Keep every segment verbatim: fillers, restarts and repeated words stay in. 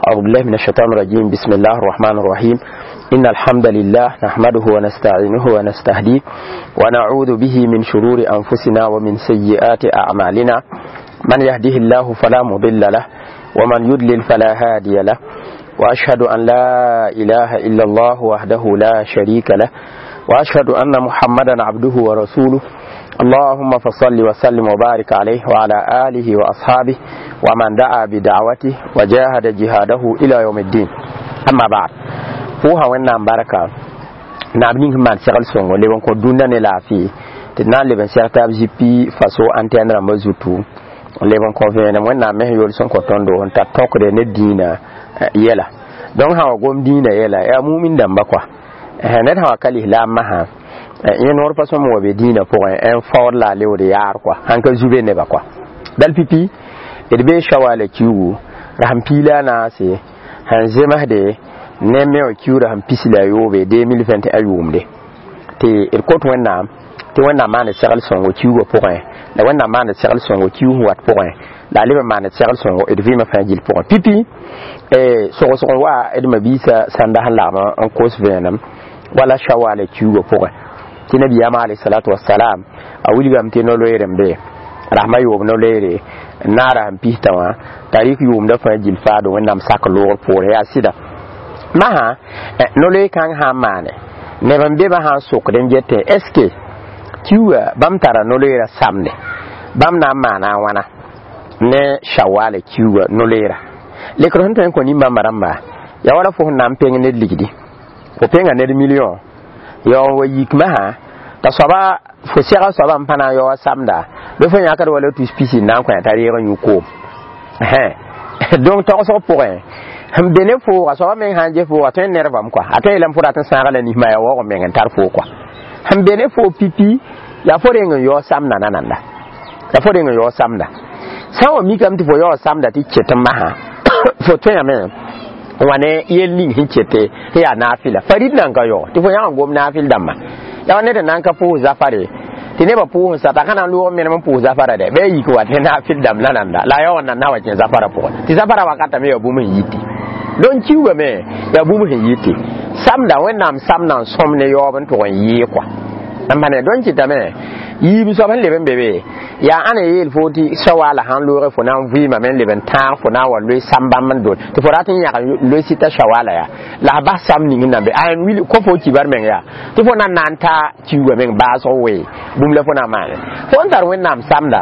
أعوذ بالله من الشيطان الرجيم. بسم الله الرحمن الرحيم. إن الحمد لله نحمده ونستعينه ونستهديه ونعوذ به من شرور أنفسنا ومن سيئات أعمالنا. من يهده الله فلا مضل له ومن يضلل فلا هادي له، وأشهد أن لا إله إلا الله وحده لا شريك له، وأشهد أن محمدا عبده ورسوله. اللهم فصل وسلم وبارك عليه وعلى آله وأصحابه ومن دعا بدعوته وجاهد جهاده إلى يوم الدين. أما بعد، فوها وين بركة نابني man segl sõngo leb n kõ dũnda ne laafɩ tɩ d na n leb n seg taab zipi faso antɛn rãmbã zutu n leb n kõ vẽenem Wẽnnaam mes yol sẽn kõ tõndo n tar tõkde ne dĩinã yɛla. Donc sã wa gom dĩinã yɛla yaa mumin dãmba kɔa, ned sã wa ka lislaambã sã yẽ noor pa sõm wa be dĩinã pʋgẽ n faood la a leood yaar kɔa sãn ka zu be nebã kɔa. Dal pipi d bee shawala kiugu rasem piila a naase sẽn zemsde ne me wã kiuurã sẽn pis la a yoobe deux mille vingt et un yʋʋmde tɩ d kot Wẽnnaam tɩ Wẽnnaam maand segl sõngo kiugã pʋgẽ, la Wẽnnaam maand segl sõngo kiug sẽn wat pʋgẽ, la a leb n maand segl sõngo d vɩɩmã fãa gill pʋgẽ. Pipi sogsg n wa d mabiisã sãnda sẽn lagm n kos vẽenem wala shawala kiugã pʋgẽ tɩ nabiyaamã alayhi salatu wasalam a wilgame tɩ no-loeer n be rasmã yoob no-loeere n naara sẽn pista wã tarik yʋʋmdã fãa gill faado Wẽnnaam sak loogr poorẽ. Yaa sɩda masã no-loeer kãng sã n maane neb n be bã sã n sokd n getẽ est ce que kiuga bãmb tara no-loeerã samde bãmb na n maana a wãna ne shawala kiuga no-loeera lekr sẽn tõe n kõ nin-bãmba rãmba yaa wala fo sẽn na n peng ned ligdi fo penga ned million ya n wa yik masã t'a soaba fo sɛga soaba n pa na n yaoa samda bɩ fo yãkd wala tus pisi n na n kõ t'a reeg n yũ koom. Donc tagsg pʋgẽ sẽn be ne fooga soaba meng sã n ges fooga tõe n nervame kɔa a tõe yeelame fo rat n sãaga la nisma yaa waoog meng n tar foo kɔa sẽn be ne foo pipi yaa fo reng n yao samda nananda yaa fo reng n yao samda sã n wa mikame tɩ fo yao samda tɩ ket n masã fo tõeyame n wa ne yel ning sẽn kete sẽn yaa naafɩla farid nan ka yao tɩ fo yãg n gom naafɩl dãmbã yaa wa ned n na n ka pʋʋs zafare tɩ nebã pʋʋs n sata ka na n loog menem n pʋʋs zafara dɛ bɩ a yik wa tɩ naafɩl dãmb la nanda la a yaoog n na wa kẽ zafara pʋgẽ tɩ zafara wakatame yaa bũmb sẽn yiti. Donc kiugame yaa bũmb sẽn yiti samda Wẽnnaam samda n sõm ne yaoob n tʋg n yɩɩ kɔa n pa ne. Donc kɩtame yiib soab sẽn leb n be be yaa ãn n yeel fo tɩ shawala sãn looge fo na n vɩɩmame n leb n tãag fo na n wa loe sam bãmb n dol tɩ fo rat n yãg loe sɩta shawala yaa la a bas sam ning n na n be a n wil kõ fo kibar meng yaa tɩ fo na n na n ta kiugã meng baasg wee bũmb la fo na n maane fo n tar Wẽnnaam samda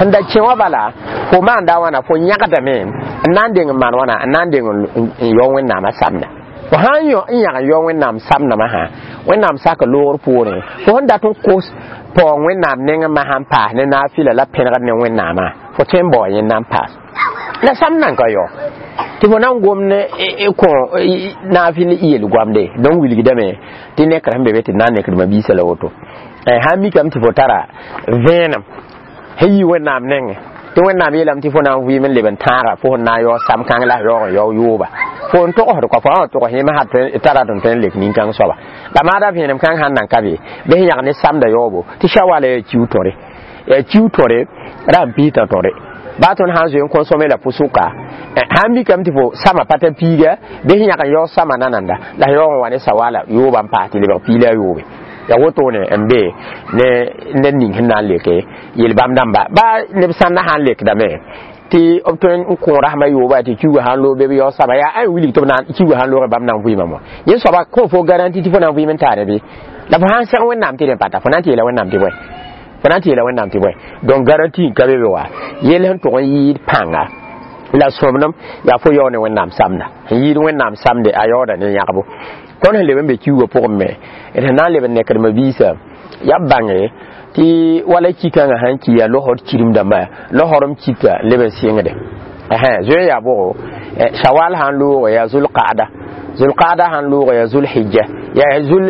sẽn da kẽ wã bala fo maanda wãna fo yãgdame n na n deng n maan wãna n na n deng n yao Wẽnnaamã samda fo sã n yãg n yao Wẽnnaam samdã masã Wẽnnaam sak loogr poorẽ fo sẽn dat n kos paoong Wẽnnaam nengẽ masã n paas ne naafɩla la pẽnegd ne Wẽnnaamã fo tõe n bao yẽnda n paas la sam nan ka yao tɩ fo na n gom ne kõ naafɩl yel goamde. Donc wilgdame tɩ nekr sẽn be be tɩ d na n nekd mabiisã la woto sã n mikame tɩ fo tara vẽenem sẽn yi Wẽnnaam nengẽ tɩ Wẽnnaam yeelame tɩ fo na n vɩɩm n leb n tãaga fo sẽn na n yao sam kãng la yaoog n yao yooba fo n togsd kɔa fo sã wa togs yẽmã tara tɩ tõe n lek nin-kãng soaba la maada vẽenem kãng sãn nan ka be bɩ sẽn yãg ne samda yaoobo tɩ shawala yaa kiu tõre yaa kiu tõre ra n piisã tõre baa tõnd sã n zoe n consommer la pʋsʋka sã n mikame tɩ fo sama pa t'a piiga bɩ sẽn yãg n yao sama nananda la sẽn yaoog n wa ne sawala yooba n paas tɩ lebg piila a yoobe ya wotone n be ne ned ning sẽn na n leke yel bãmb dãmba baa neb sãnda sã n lekdame tɩ b tõe n kõ rasmã yooba tɩ kiuga sã n loog be b yao sama yaa a wilg tɩ b na kiuga sã n loogẽ bãmb na n vɩɩmame wã yẽ soaba kõ fo garanti tɩ fo na n vɩɩm n taare bɩ la fo sã n seg Wẽnnaam tɩ rẽ pata fo na n tɩ yeela Wẽnnaam tɩ bõe fo na n tɩ yeela Wẽnnaam tɩ bõe. Donc garanti n ka be be wa yell sẽn tʋg n yɩɩd pãnga la sõmnem yaa fo yao ne Wẽnnaam samda sẽn yɩɩd Wẽnnaam samde a yaooda ne yãgbo. Tõnd sẽn leb n be kiugã pʋgẽ me d sẽn na n leb n nekd mabiisã yaa b bãnge tɩ wala ki-kãngã sãn ki yaa losd kirim dãmba losrem kita leb n sɩngde zoe yaa bʋgo shawal sãn loog yaa zulqaada zulqaada sãn loog yaa zulhijja yaa zul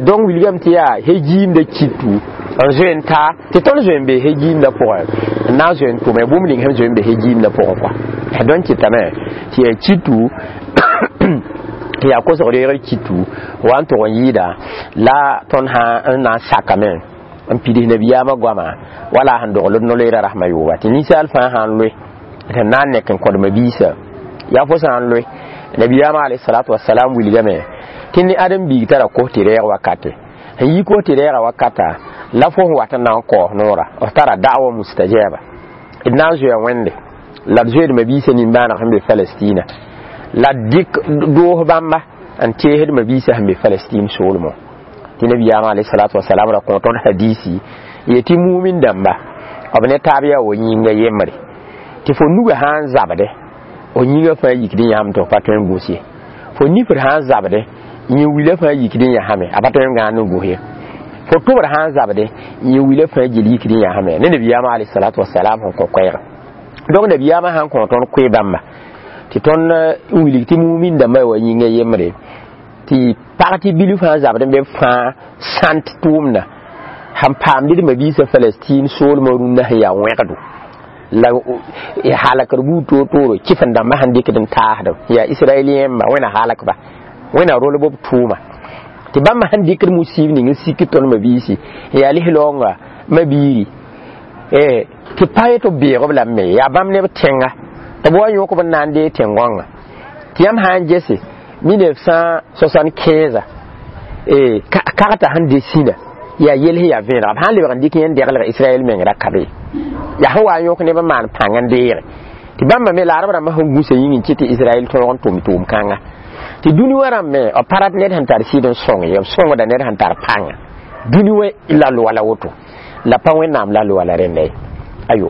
donc wilgame tɩ yaa hejiimda kitu n zoe n ta tɩ tõnd zoe n be hejiimda pʋgẽ n na n zoe n tʋme bũmb ning sẽn zoe n be hejiimda pʋgẽ kɔa. Donc kɩtame tɩ yaa kitu tɩ yaa kosg reegr kitu wa n tʋg n yɩɩda la tõnd sã n na n sakame n pids nabiyaamã goama wala sẽn dogl d no-loeera rasmã yooba tɩ ninsaal fãa sã n loe tɩ na n nek n kõdma biisã Yaa fo sã n loe nabiyaamã alayhi salatu wasalam wilgame tɩ ne ãdem biig tara kos tɩ rɛɛg wakate sẽn yi kos tɩ rɛɛga wakata la fo sẽn wat n na n kaoos noora f tara da'wa mustajaba. D na n zoea wẽnde la d zoeedmã biisã nimbãaneg sẽn be Palestina la d dɩk doos bãmba n teesdmã biisã sẽn be Palestine soolmẽ tɩ nabiyaamã alayhi salatu wasalam ra kõ tõnd hadisi yetɩ mumin dãmba b ne taab yaa wa yĩnga yembre tɩ fo nuga sã n zabde o yĩngã fãa yikd n yãame tɩ f pa tõe n gos ye fo nifr sã n zabde yẽ wila fãa yikd n yãsame a pa tõe n gãand n gos ye fo tʋbr sã n zabde yẽ wila fãa gil yikd n yãsame ne nabiyaamã alayhi salatu wasalam sẽn kõ koɛɛga. Donc nabiyaamã sãn kõ tõnd koe bãmba tɩ tõnd n wilg tɩ mumin dãmbã wa yĩngã yembre tɩ pag tɩ bilf sã n zabd n be fãa sãnt tʋʋmda sẽn paamd d mabiisã Palestine soolmã rũnnã sẽn yaa wẽgdo la halakr buud toor-tooro kɩf n dãmbã sẽn dɩkd n taasd yaa israélien ba wẽna halakba wẽna rolb b tʋʋma tɩ bãmba sẽn dɩkd musiib ning n sik tõnd mabiisi yaa lislaoonga mabiiri tɩ pa ye tɩ b beeg b lame yaa bãmb neb tẽnga tɩ b wa yõk b n na n dee tẽn-gõngã tɩ yãmb sã n gese mille neuf cent soixante-quinze kagta sẽn de sĩna yaa yel sẽn yaa vẽenega b sã n lebg n dɩk yẽn deglg Israɛl meng ra ka be yaa sẽn wa n yõk neb n maan pãng n deege tɩ bãmba me la rb rãmbã sẽn gũsa yĩng n kɩt tɩ Israɛl tõog n tʋm tʋʋm kãnga tɩ dũni wã rãmb me b pa rat ned sẽn tar sɩd n sõng ye b sõngda ned sẽn tar pãnga dũni wã la loa la woto la pa wẽnnaam la loa la rẽnda ye ayo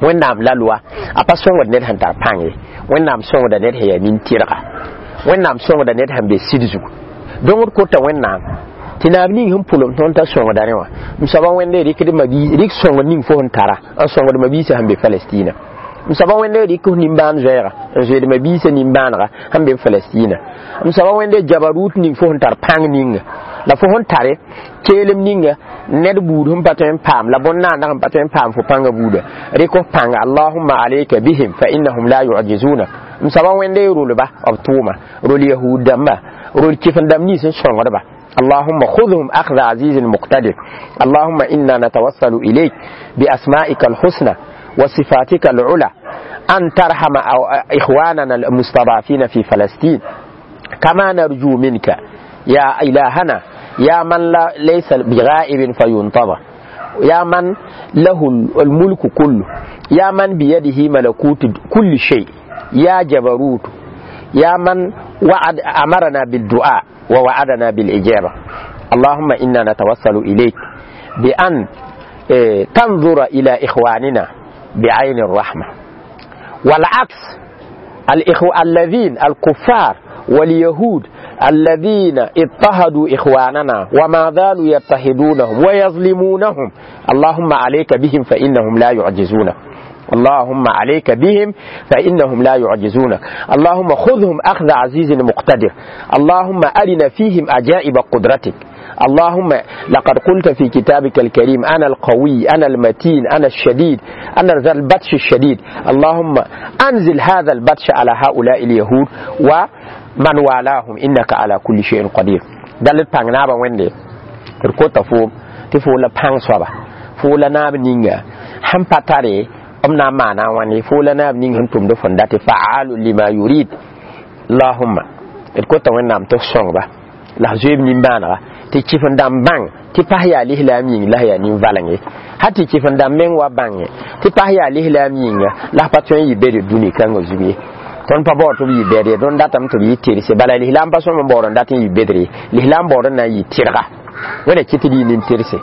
wẽnnaam la loa a pa sõngd ned sẽn tar pãng ye wẽnnaam sõngda ned sẽn yaa nin-tɩrga wẽnnaam sõngda ned sẽn be sɩd zugu donc d kota wẽnnaam tɩ naab ning sẽn pʋlem tõnd t'a sõngda rẽ wã m soaba wẽnde rɩkd mabi rɩk sõngd ning fo sẽn tara n sõngd mabiisã sẽn be Palestina m soaba wẽnde rɩk f nimbãan zoɛɛga n zoeed mabiisã nimbãanega sẽn be Palestina m soaba wẽnde jabarut ning fo sẽn tar pãng ninga la fo sẽn tare keelem ninga ned buud sẽn pa tõe n paam la bõn-naandã sẽn pa tõe n paam fo pãngã buuda rɩk f pãnga allahumma alayka bihim fa innahum la yu'jizunak m soaba wẽnde rolba b tʋʋma rol yahud dãmba rol kɩf n dãmb nins n sõngdba اللهم خذهم أخذ عزيز مقتدر اللهم إنا نتوسل إليك بأسمائك الحسنى وصفاتك العلى أن ترحم إخواننا المستضعفين في فلسطين كما نرجو منك يا إلهنا يا من لا ليس بغائب فينتظر يا من له الملك كله يا من بيده ملكوت كل شيء يا جبروت يا من وعد أمرنا بالدعاء ووعدنا بالإجابة اللهم إنا نتوسل إليك بأن تنظر إلى إخواننا بعين الرحمة والعكس الإخوة الذين الكفار واليهود الذين اضطهدوا إخواننا وما زالوا يضطهدونهم ويظلمونهم اللهم عليك بهم فإنهم لا يعجزونك اللهم عليك بهم فإنهم لا يعجزونك اللهم خذهم أخذ عزيز مقتدر اللهم أرنا فيهم عجائب قدرتك اللهم لقد قلت في كتابك الكريم أنا القوي أنا المتين أنا الشديد أنا ذا البطش الشديد اللهم أنزل هذا البطش على هؤلاء اليهود ومن والاهم إنك على كل شيء قدير دلت بانغنابا ويندي ركوتا فوم تفولا بانغ صبا فولا ناب نينغا هم باتاري b na n maana a wãne fo la naab ning sẽn tʋmd fõn dat faalu lima yurid allahumma d kota wẽnnaam tɩ f sõngba la f zoeeb nimbãanega tɩ kɩf n dãmb bãng tɩ pas yaa lislaam yĩng la yaa nin-valeng ye ha tɩ kɩf n dãmb meng wa bãnge tɩ pas yaa lislaam yĩnga la f pa tõe n yɩ bed dũni kãngã zug ye tõnd pa baood tɩ b yɩ bɛd ye tõnd datame tɩ b yɩ tɩrse bala lislaam pa sõm n baood n dat n yɩ bedre ye lislaam baood n na n yɩ tɩrga wẽna kɩ tɩ d yɩ nin-tɩrse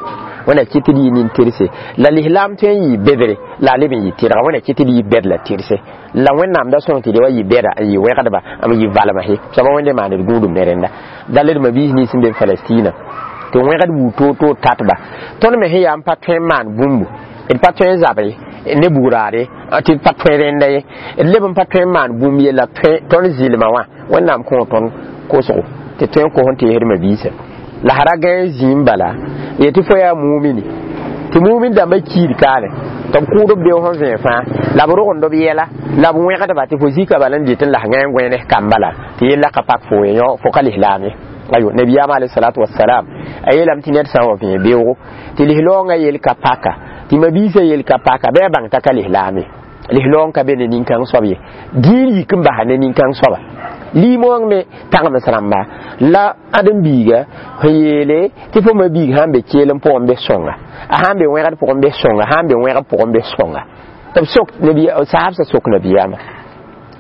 wẽna kɩ tɩ d yɩ nin-tɩrse la lislaam tõe n yɩ bedre la a leb n yɩ tɩrga wẽna kɩ tɩ d yɩ bɛd la tɩrse la wẽnnaam da sõng tɩ d wa yɩ bɛda n yɩ wẽgdba n yɩ valma he soaba wẽnde maan d gũudum ne rẽnda dal d mabiis nins n be Palestina tɩ wẽgd buud toor-toor tatba tõnd me sẽn yaa n pa tõe n maan bũmbu d pa tõe n zabe ne bugraade tɩ d pa tõe rẽnda ye d leb n pa tõe n maan bũmb ye la tõnd zɩlmã wã wẽnnaam kõ tõnd kosgo tɩ tõe n kos n teesd mabiisã la sã ra gãe zĩim bala yetɩ fo yaa mumini tɩ mumin dãmbã kiid kaane tɩ b kʋʋd b beo sẽn vẽe fãa la b rogend b yɛla la b wẽgdba tɩ fo zika bala n dɩt n las gãe n gõe ne kamba la tɩ yella ka pak fo ye fo ka lislaam ye ayo nabiyaam alayhi salatu wassalam a yeelame tɩ ned sã n wa vẽe beoogo tɩ lislaoongã yel ka paka tɩ mabiisã yel ka paka bɩ a bãng t'a ka lislaam ye Lislaam ka be ne nin-kãng soab ye dĩin yik n basa ne nin-kãng soaba limoong me tagms rãmba la ãdem-biiga sẽn yeele tɩ fo ma-biig sã n be keel n pʋgẽ bɩ sõnga a sã n be wẽgd pʋgẽ bɩ sõnga sã n be wẽgb pʋgẽ bɩ sõnga tɩ b sok saabsã sok nabiyaamã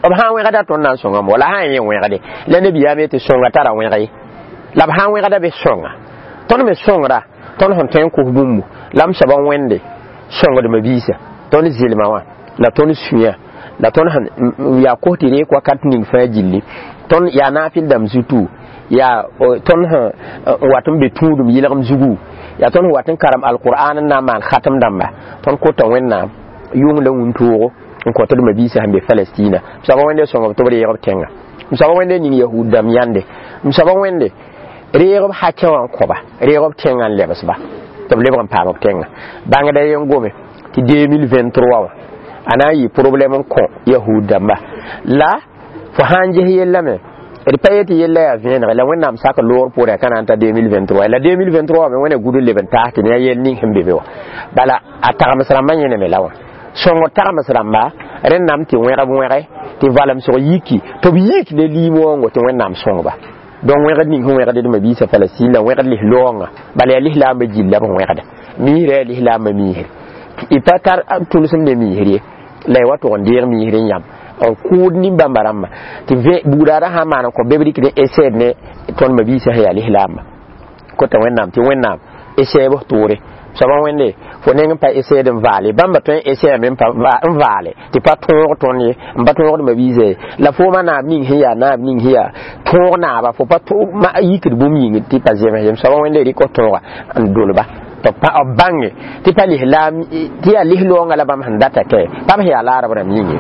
b sã n wẽgda tõnd na n sõngame wala sã n yẽ wẽgde la nabiyaam yetɩ sõnga tara wẽg ye la b sã n wẽgda bɩ sõnga tõnd me sõngra tõnd sẽn tõe n kos bũmbu la m soaba wẽnde sõngdmã biisa tõnd zɩlma wã la tõnd sũyã la tõnd sẽn yaa kos tɩ reek wakat ning fãa gilli tõnd yaa naafɩl dãmb zutu yaa tõnd sẽn wat n be tũudum yɩlgem zugu yaa tõnd sẽn wat n karem alqur'an n na n maan khatm dãmba tõnd kota wẽnnaam yʋng la wũntoogo n kõt d mabiisã sẽn be Palestina m soaba wẽnde sõngb tɩ b reeg b tẽnga m soaba wẽnde ning yahud dãmb yãnde m soaba wẽnde reeg b hakẽ wã n kõba reeg b tẽngã n lebsba tɩ b lebg n paam b tẽnga bãngda yen gome tɩ deux mille vingt-trois wã a na n yɩ problème n kõ yahud dãmba la fo sã n ges yellame d pa yetɩ yella yaa vẽenege la wẽnnaam sak loor pʋʋrẽ ka na n ta deux mille vingt-trois la deux mille vingt-trois me wẽna gud n leb n taas tɩ ne a yell ning sẽn be be wã bala a tagms rãmbã yẽneme la wã sõngr tagms rãmba rẽndame tɩ wẽgb wẽge tɩ valemsg yiki tɩ b yik ne liimoongo tɩ wẽnnaam sõngba donc wẽgd ning sẽn wẽgd d mabiisã Palestine la wẽgd lislaoongã bala yaa lislaambã gill la b wẽgda miisrã yaa lislaambã miisr y pa tar tʋlsem ne miisr ye la y wa tʋg n deeg miisr n yãmb n kʋʋd nin-bãmba rãmba tɩ buudaadã sã n maan n kõ be b rɩkd n eseed ne tõnd mabiisã sẽn yaa lislaamba kota wẽnnaam tɩ wẽnnaam eseeb f tʋʋre soaba wẽnde fo neng n pa eseed n vaale bãmba tõe n eseame n vaale tɩ pa tõog tõnd ye n pa tõogd mabiisã ye la fooma naab ning sẽn yaa naab ning sẽn yaa tõog naaba fo pa yikd bũmb yĩng tɩ pa zems ye soaba wẽnde rɩk f tõoga n dolba tɩ b bãnge tɩ pa lislaam tɩ yaa lislaoongã la bãmb sẽn data kɛ bãmb sẽn yaa laarb rãmb yĩnge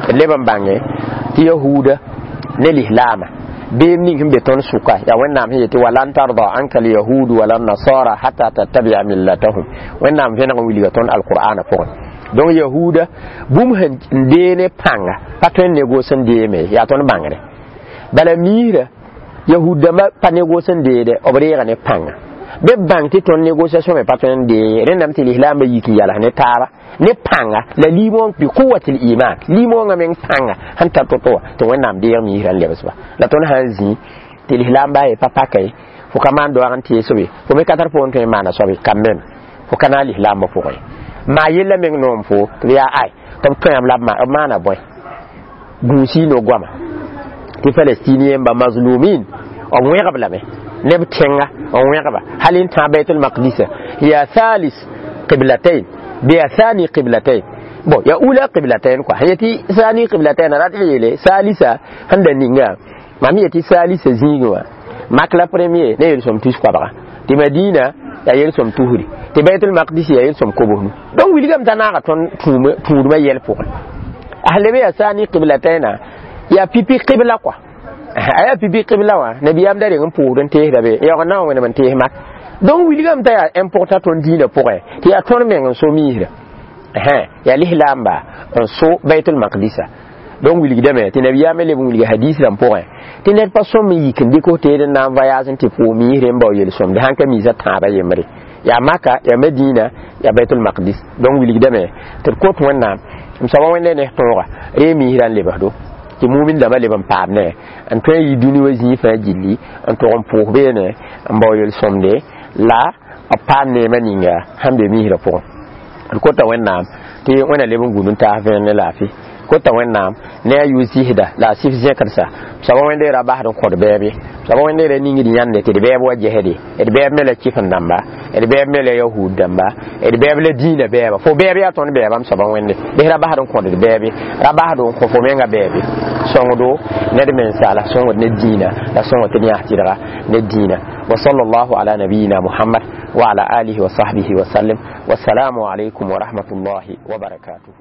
d leb n bãnge tɩ yahuuda ne lislaama beem ning sẽn be tõnd sʋka yaa wẽnnaam sẽn yetɩ ولن ترضى عنك اليهود ولا النصارى حتى تتبع ملتهم wẽnnaam vẽneg n wilga tõnd alqur'ana pʋgẽ donc yahuuda bũmb sẽn dee ne pãnga pa tõe n negos n deeme yaa tõnd bãngre bala miisra yahud dãmbã pa negos n deede b reega ne pãnga bɩ b bãng tɩ tõnd négociation me pa tõe n dee rẽndame tɩ lislaambã yik n yals ne taaba ne pãnga la liimoong بقوة الإيمان liimoongã meng pãnga sẽn tar to-to wã tɩ wẽnnaam deeg miisrã n lebsba la tõnd sã n zĩ tɩ lislaamba ye pa paka ye fo ka maan doag n tees be fo me ka tar pʋgẽ tõe n maana soab ye quand même fo ka na n lislaambã pʋgẽ maa yella meng noom fo tɩ b yaa ay tɩ b tõeam la b maana bõe gũusi no-goama tɩ palestinien ba mazlumin b wẽgb lame neb tẽnga n wẽgba hal n tã Baitul Maqdisa yaa ثالث قبلتين bɩ yaa ثاني قبلتين bon ya أولى قبلتين quoi yetɩ ثاني قبلتين rat yeele salisa sẽn da ninga mam yetɩ salisa zĩigẽ wã mak la premier ne yel-sõm tus koabga tɩ Madina yaa yel-sõm tusri tɩ Baitul Maqdis yaa yel-sõm kobsnu donc wilgame t'a naaga tõnd tũudmã yɛl pʋgẽ a lebe yaa ثاني قبلتين yaa pipi qibla quoi a yaa pipi qibla wã nabiyaam da reng n pʋʋsd n teesda be yaoog na n wẽnem n tees mak donc wilgame t'a yaa important tõnd dĩinã pʋgẽ tɩ yaa tõnd meng n so miisrã yaa lislaamba n so Baitul Maqdisa donc wilgdame tɩ nabiyaamã leb n wilga hadis rãmb pʋgẽ tɩ ned pa sõm n yik n dɩk f teed n na n voyage n tɩ pʋʋg miisre n bao yel-sõmde sãn ka miisã tãabã yembre yaa Maka yaa Madina yaa Baitul Maqdis donc wilgdame tɩ d kot wẽnnaam m soaba wẽnde ne tõoga ree miisrã n lebsdo tɩ mumin dãmbã leb n paam ne n tõe n yi dũni wa zĩig fãa gilli n tʋg n pʋʋs beene n bao yel-sõmde la b paam neemã ninga sẽn be miisrã pʋgẽ d kota wẽnnaam tɩ wẽna leb n gũud n taas vẽen ne laafɩ kota wẽnnaam ne a yʋ zɩsda la a sɩf zẽkdsa soaba wẽnde ra basd n kõd bɛɛb ye soaba wẽnde ra ningd yãnde tɩ d bɛɛb wa gesde d bɛɛb me la kɩf-n dãmba d bɛɛb me la yahud dãmba d bɛɛb la dĩinã bɛɛba fo bɛɛb yaa tõnd bɛɛba m soaba wẽnde bɩs ra basd n kõd d bɛɛbe ra basd n kõ fo menga bɛɛbe sõngdo ned mensaala sõngd ne dĩinã la sõngd tɩ d yãs tɩdga ne dĩinã وصلى الله على نبينا محمد وعلى آله وصحبه وسلم والسلام عليكم ورحمة الله وبركاته.